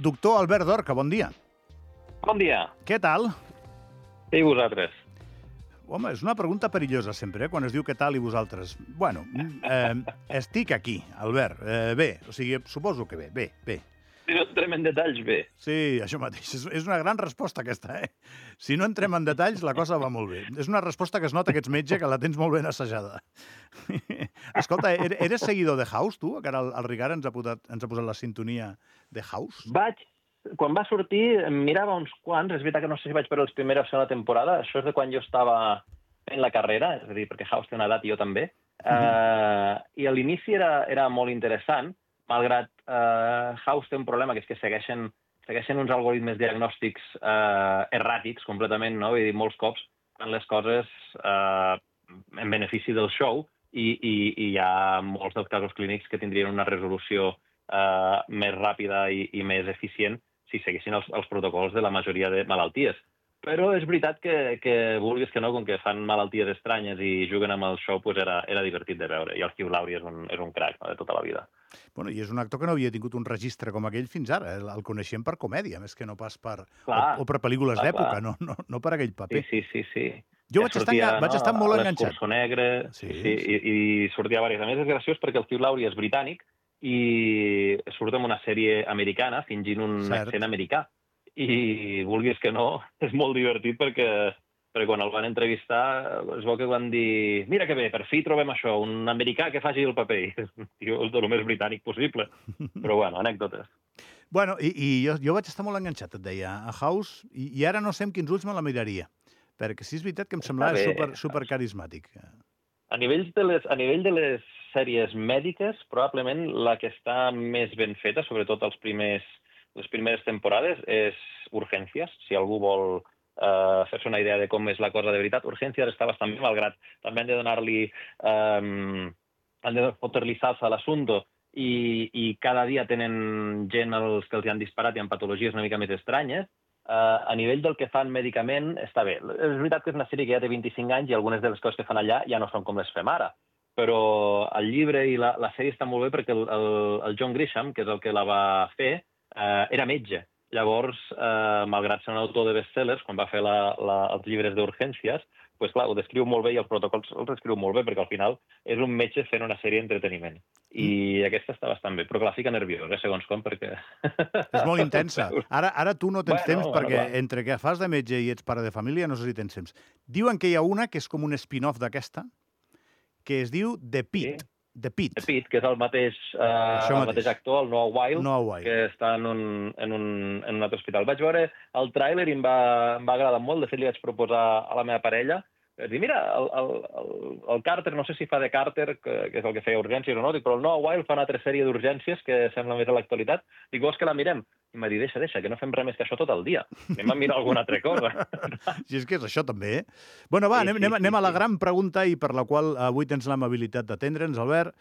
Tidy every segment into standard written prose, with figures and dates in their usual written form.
Doctor Albert Dorca, bon dia. Bon dia. Què tal? I vosaltres? Home, és una pregunta perillosa sempre, quan es diu què tal i vosaltres. Bueno, estic aquí, Albert. Bé, o sigui, suposo que bé. Si no entrem en detalls, bé. Sí, això mateix. És una gran resposta, aquesta, eh? Si no entrem en detalls, la cosa va molt bé. És una resposta que es nota que ets metge, que la tens molt ben assajada. Escolta, eres seguidor de House, tu? Que ara el Ricard ens ha posat la sintonia de House. Quan va sortir, em mirava uns quants. És veritat que no sé si vaig per les primeres o segona temporada. Això és de quan jo estava fent la carrera, és a dir, perquè House té una edat i jo també. I a l'inici era molt interessant, malgrat House té un problema, que és que segueixen uns algoritmes diagnòstics erràtics completament, no? Vull dir, molts cops fan les coses en benefici del show i hi ha molts dels casos clínics que tindrien una resolució més ràpida i més eficient si seguissin els protocols de la majoria de malalties. Però és veritat que vulguis que no, com que fan malalties estranyes i juguen amb el show, doncs era divertit de veure. I el Hugh Laurie és un crac, no?, de tota la vida. Bueno, i és un actor que no havia tingut un registre com aquell fins ara. El coneixem per comèdia, més que no pas per pel·lícules d'època, no per aquell paper. Sí. Jo vaig estar molt enganxat. L'Escurçó Negre, i sortia diverses. A més, és graciós perquè el Hugh Laurie és britànic i surt en una sèrie americana fingint un accent americà. I vulguis que no, és molt divertit perquè quan el van entrevistar es veu que van dir mira que bé, per fi trobem això, un americà que faci el paper. I el de lo més britànic possible. Però bueno, anècdotes. Bueno, i jo vaig estar molt enganxat, et deia, a House, i ara no sé amb quins ulls me la miraria, perquè sí és veritat que em semblava super carismàtic. A nivell de les sèries mèdiques, probablement la que està més ben feta, sobretot les primeres temporades, és Urgències. Si algú vol fer-se una idea de com és la cosa de veritat, Urgències està bastant bé, malgrat també han de donar-li han de fotre-li salsa a l'assumpte i cada dia tenen gent que els han disparat i amb patologies una mica més estranyes. A nivell del que fan mèdicament està bé. És veritat que és una sèrie que ja té 25 anys i algunes de les coses que fan allà ja no són com les fem ara. Però el llibre i la sèrie està molt bé perquè el John Grisham, que és el que la va fer, era metge. Llavors, malgrat ser un autor de bestsellers, quan va fer els llibres d'Urgències, doncs clar, ho descriu molt bé i els protocols els descriu molt bé, perquè al final és un metge fent una sèrie d'entreteniment. I aquesta està bastant bé, però que la fica nerviós, segons com, perquè... És molt intensa. Ara tu no tens temps, perquè entre que fas de metge i ets pare de família, no sé si tens temps. Diuen que hi ha una que és com un spin-off d'aquesta, que es diu The Pitt. The Pitt, que és el mateix actor, el Noah Wyle, que està en un altre hospital. Vaig veure el tràiler i em va agradar molt. De fet, li vaig proposar a la meva parella. Vaig dir, mira, el Carter, no sé si fa de Carter, que és el que feia Urgències o no, però el Noah Wyle fa una altra sèrie d'Urgències que sembla més a l'actualitat. Dic, vols que la mirem? I m'ha dit, deixa, que no fem res més que això tot el dia. Anem a mirar alguna altra cosa. Si és que és això, també, eh? Bueno, va, anem a la gran pregunta i per la qual avui tens l'amabilitat d'atendre'ns, Albert.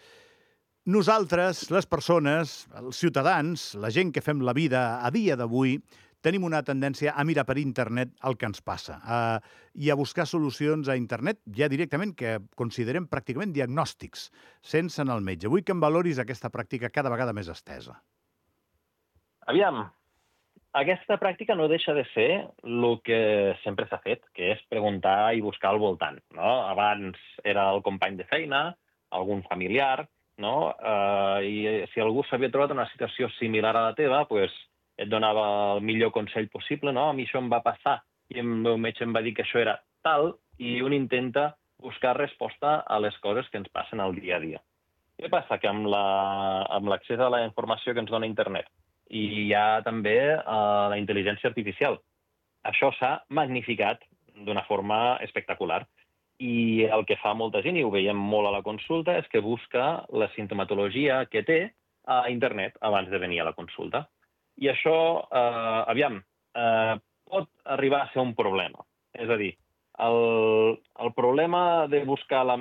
Nosaltres, les persones, els ciutadans, la gent que fem la vida a dia d'avui, tenim una tendència a mirar per internet el que ens passa i a buscar solucions a internet ja directament que considerem pràcticament diagnòstics, sense anar al metge. Vull que em valoris aquesta pràctica cada vegada més estesa. Aviam, aquesta pràctica no deixa de ser el que sempre s'ha fet, que és preguntar i buscar al voltant, no? Abans era el company de feina, algun familiar, no? I si algú s'havia trobat en una situació similar a la teva, doncs et donava el millor consell possible, no? A mi això em va passar i el meu metge em va dir que això era tal, i un intenta buscar resposta a les coses que ens passen al dia a dia. Què passa? Que amb l'accés a la informació que ens dona internet i hi ha també la intel·ligència artificial, això s'ha magnificat d'una forma espectacular. I el que fa molta gent, i ho veiem molt a la consulta, és que busca la simptomatologia que té a internet abans de venir a la consulta. I això, pot arribar a ser un problema. És a dir, el problema de buscar la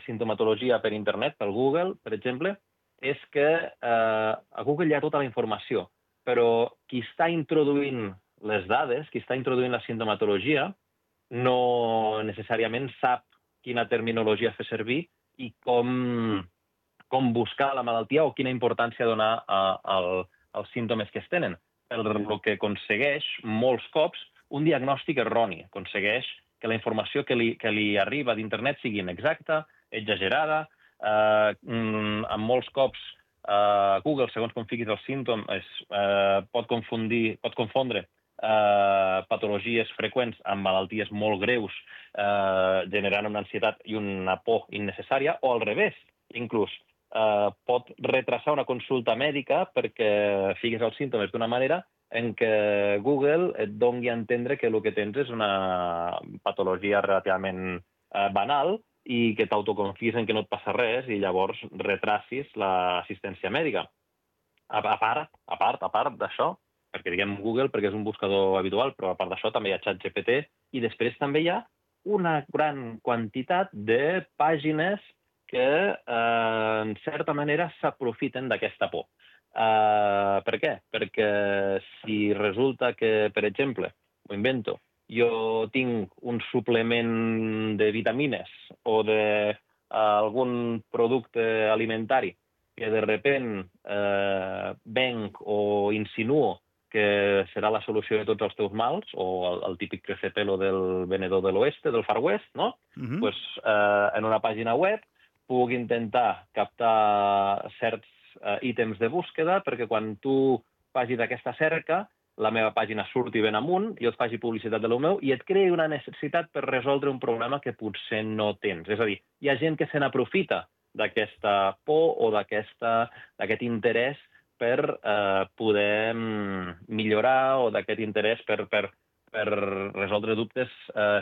simptomatologia per internet, per Google, per exemple, és que a Google hi ha tota la informació, però qui està introduint les dades, qui està introduint la simptomatologia, no necessàriament sap quina terminologia fer servir i com buscar la malaltia o quina importància donar els símptomes que es tenen, el que aconsegueix molts cops un diagnòstic erroni, aconsegueix que la informació que li arriba d'internet sigui inexacta, exagerada, en molts cops Google, segons com fiquis els símptomes, pot confondre patologies freqüents amb malalties molt greus, generant una ansietat i una por innecessària, o al revés, inclús pot retrasar una consulta mèdica perquè fiquis els símptomes d'una manera en què Google et doni a entendre que el que tens és una patologia relativament banal i que t'autoconfies en que no et passa res i llavors retracis l'assistència mèdica. A part d'això, perquè diguem Google perquè és un buscador habitual, però a part d'això també hi ha ChatGPT i després també hi ha una gran quantitat de pàgines que, en certa manera, s'aprofiten d'aquesta por. Per què? Perquè si resulta que, per exemple, ho invento, jo tinc un suplement de vitamines o d'algun producte alimentari que de repent venc o insinuo que serà la solució de tots els teus mals, o el típic crecepelo del venedor de l'oeste, del Far West, no? Pues, en una pàgina web puc intentar captar certs ítems de búsqueda perquè quan tu facis aquesta cerca, la meva pàgina surti ben amunt, jo et faci publicitat de lo meu i et creï una necessitat per resoldre un problema que potser no tens. És a dir, hi ha gent que se n'aprofita d'aquesta por o d'aquest interès per poder millorar o d'aquest interès per resoldre dubtes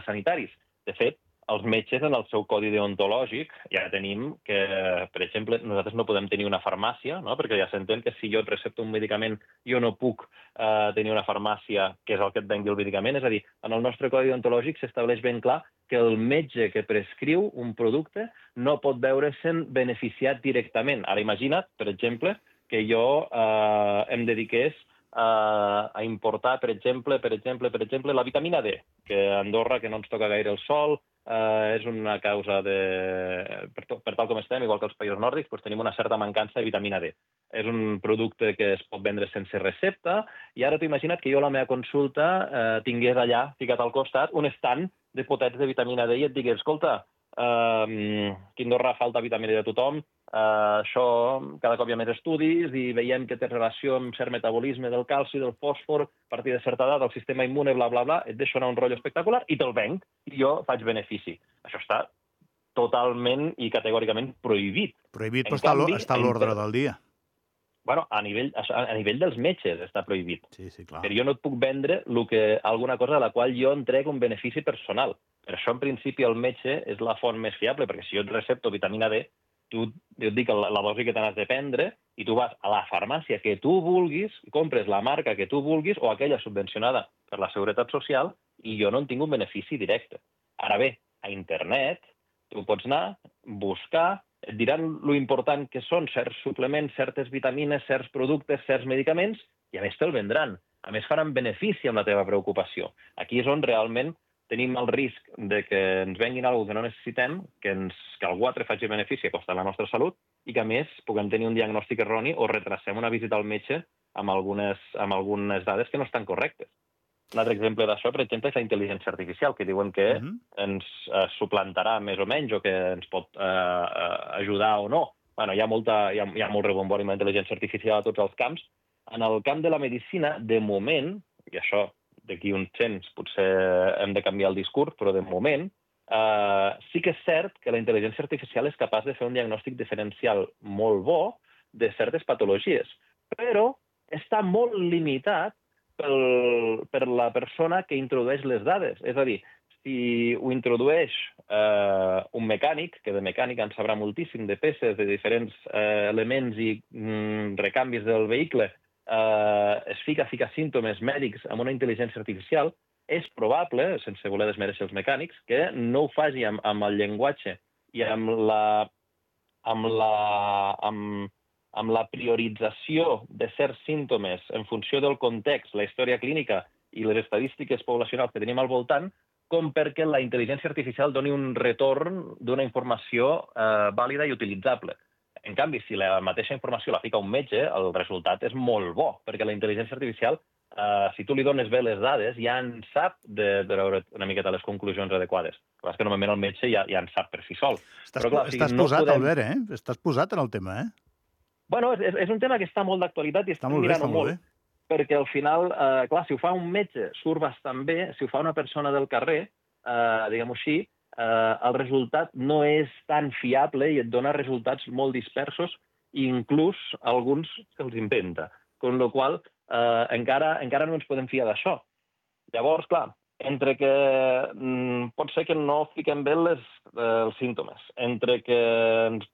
sanitaris. De fet, els metges, en el seu codi deontològic, ja tenim que, per exemple, nosaltres no podem tenir una farmàcia, no? Perquè ja s'entén que si jo et recepto un medicament, jo no puc tenir una farmàcia que és el que et vengui el medicament. És a dir, en el nostre codi deontològic s'estableix ben clar que el metge que prescriu un producte no pot veure-se'n beneficiat directament. Ara imagina't, per exemple, que jo em dediqués a importar, per exemple, la vitamina D, que a Andorra, que no ens toca gaire el sol, és una causa per tal com estem, igual que els països nòrdics, doncs tenim una certa mancança de vitamina D. És un producte que es pot vendre sense recepta, i ara t'ho imagina't que jo a la meva consulta tingués allà, ficat al costat, un estand de potets de vitamina D i et digués, escolta, aquí a Andorra falta vitamina D a tothom, això cada cop hi ha més estudis i veiem que té relació amb cert metabolisme del calci, del fòsfor, a partir de certa edat, el sistema immune, bla, bla, bla, et deixo anar un rotllo espectacular i te'l venc i jo faig benefici. Això està totalment i categòricament prohibit. Prohibit, però està a l'ordre del dia. Bueno, a nivell dels metges està prohibit. Sí, clar. Però jo no et puc vendre alguna cosa de la qual jo entrego un benefici personal. Per això, en principi, el metge és la font més fiable, perquè si jo et recepto vitamina D, jo et dic la dosi que t'has de prendre i tu vas a la farmàcia que tu vulguis, compres la marca que tu vulguis o aquella subvencionada per la Seguretat Social i jo no en tinc un benefici directe. Ara bé, a internet tu pots anar, buscar, et diran lo important que són certs suplements, certes vitamines, certs productes, certs medicaments i a més te'l vendran. A més faran benefici amb la teva preocupació. Aquí és on realment tenim el risc de que ens venguin alguna cosa que no necessitem, que algú altre faci benefici a costa de la nostra salut i que, a més, puguem tenir un diagnòstic erroni o retrasem una visita al metge amb algunes dades que no estan correctes. Un altre exemple d'això, per exemple, és la intel·ligència artificial, que diuen que ens suplantarà més o menys o que ens pot ajudar o no. Bueno, hi ha molt rebombori amb la intel·ligència artificial a tots els camps. En el camp de la medicina, de moment, i això d'aquí uns temps potser hem de canviar el discurs, però de moment sí que és cert que la intel·ligència artificial és capaç de fer un diagnòstic diferencial molt bo de certes patologies, però està molt limitat per la persona que introdueix les dades. És a dir, si ho introdueix un mecànic, que de mecànica en sabrà moltíssim, de peces, de diferents elements i recanvis del vehicle, es fica símptomes mèdics amb una intel·ligència artificial, és probable, sense voler desmereixer els mecànics, que no ho faci amb el llenguatge i amb la priorització de certs símptomes en funció del context, la història clínica i les estadístiques poblacionals que tenim al voltant, com perquè la intel·ligència artificial doni un retorn d'una informació vàlida i utilitzable. En canvi, si la mateixa informació la fica un metge, el resultat és molt bo, perquè la intel·ligència artificial, si tu li dones bé les dades, ja en sap de veure una miqueta les conclusions adequades. Però és que normalment el metge ja en sap per si sol. Estàs posat, Albert, Estàs posat en el tema, Bueno, és un tema que està molt d'actualitat i estem mirant-ho molt. Perquè al final, clar, si ho fa un metge, surt bastant bé. Si ho fa una persona del carrer, diguem-ho així, el resultat no és tan fiable i et dona resultats molt dispersos, i inclús alguns se'ls inventa. Amb la qual cosa, encara no ens podem fiar d'això. Llavors, clar, entre que pot ser que no fiquem bé els símptomes, entre que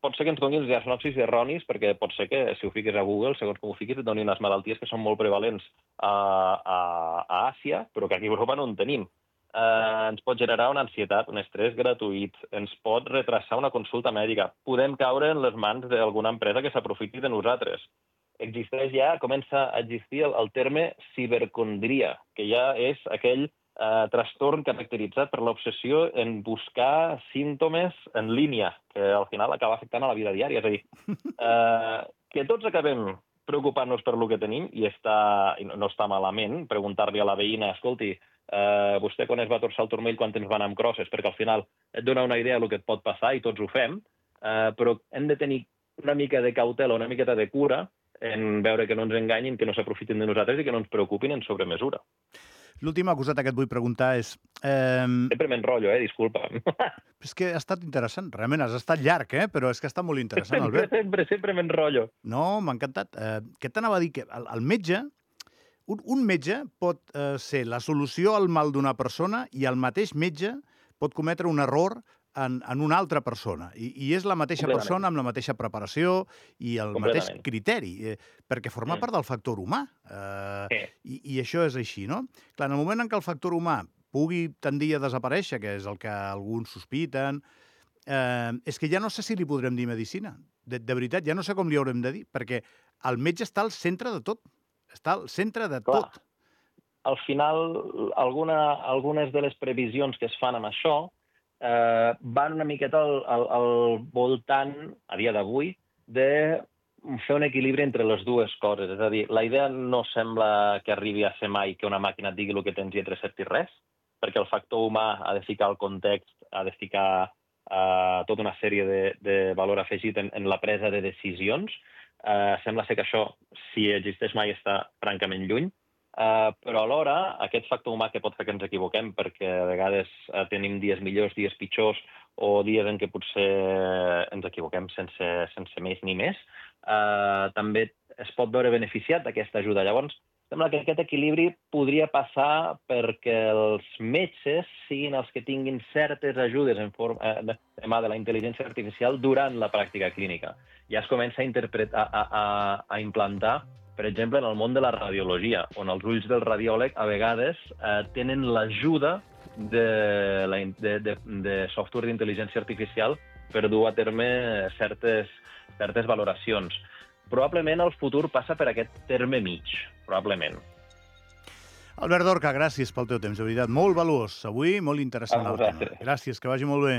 pot ser que ens donin diagnòstics erronis, perquè pot ser que si ho fiques a Google, segons com ho fiquis, et donin unes malalties que són molt prevalents a Àsia, però que aquí a Europa no en tenim. Ens pot generar una ansietat, un estrès gratuït, ens pot retrasar una consulta mèdica, podem caure en les mans d'alguna empresa que s'aprofiti de nosaltres. Comença a existir el terme cibercondria, que ja és aquell trastorn caracteritzat per l'obsessió en buscar símptomes en línia, que al final acaba afectant a la vida diària. És a dir, que tots acabem preocupant-nos per lo que tenim, i no està malament preguntar-li a la veïna, escolti, vostè quan es va torçar el turmell, quan temps va anar amb crosses, perquè al final et dona una idea del que et pot passar i tots ho fem, però hem de tenir una mica de cautela, una miqueta de cura en veure que no ens enganyin, que no s'aprofitin de nosaltres i que no ens preocupin en sobremesura. L'última coseta que et vull preguntar és... Sempre m'enrotllo, disculpa. És que ha estat interessant. Realment has estat llarg, però és que ha estat molt interessant, Albert. Sempre m'enrotllo. No, m'ha encantat. Què t'anava a dir? Que el metge... Un metge pot ser la solució al mal d'una persona i el mateix metge pot cometre un error en una altra persona. I és la mateixa persona amb la mateixa preparació i el mateix criteri, perquè forma part del factor humà. I això és així, no? Clar, en el moment en què el factor humà pugui tendir a desaparèixer, que és el que alguns sospiten, és que ja no sé si li podrem dir medicina. De veritat, ja no sé com li haurem de dir, perquè el metge està al centre de tot. Està al centre de tot. Al final, algunes de les previsions que es fan amb això van una miqueta al voltant, a dia d'avui, de fer un equilibri entre les dues coses. És a dir, la idea no sembla que arribi a ser mai que una màquina et digui el que tens i et recepti res, perquè el factor humà ha de ficar el context, ha de ficar tota una sèrie de valor afegit en la presa de decisions. Sembla ser que això, si existeix mai, està francament lluny, però alhora aquest factor humà que pot fer que ens equivoquem, perquè a vegades tenim dies millors, dies pitjors, o dies en què potser ens equivoquem sense més ni més, també es pot veure beneficiat d'aquesta ajuda. Llavors, sembla que aquest equilibri podria passar perquè els metges siguin els que tinguin certes ajudes en forma de la intel·ligència artificial durant la pràctica clínica. Ja es comença a implantar, per exemple, en el món de la radiologia, on els ulls del radiòleg a vegades tenen l'ajuda de software d'intel·ligència artificial per dur a terme certes valoracions. Probablement el futur passa per aquest terme mig, probablement. Albert Dorca, gràcies pel teu temps, de veritat. Molt valuós avui, molt interessant el tema. Gràcies, que vagi molt bé.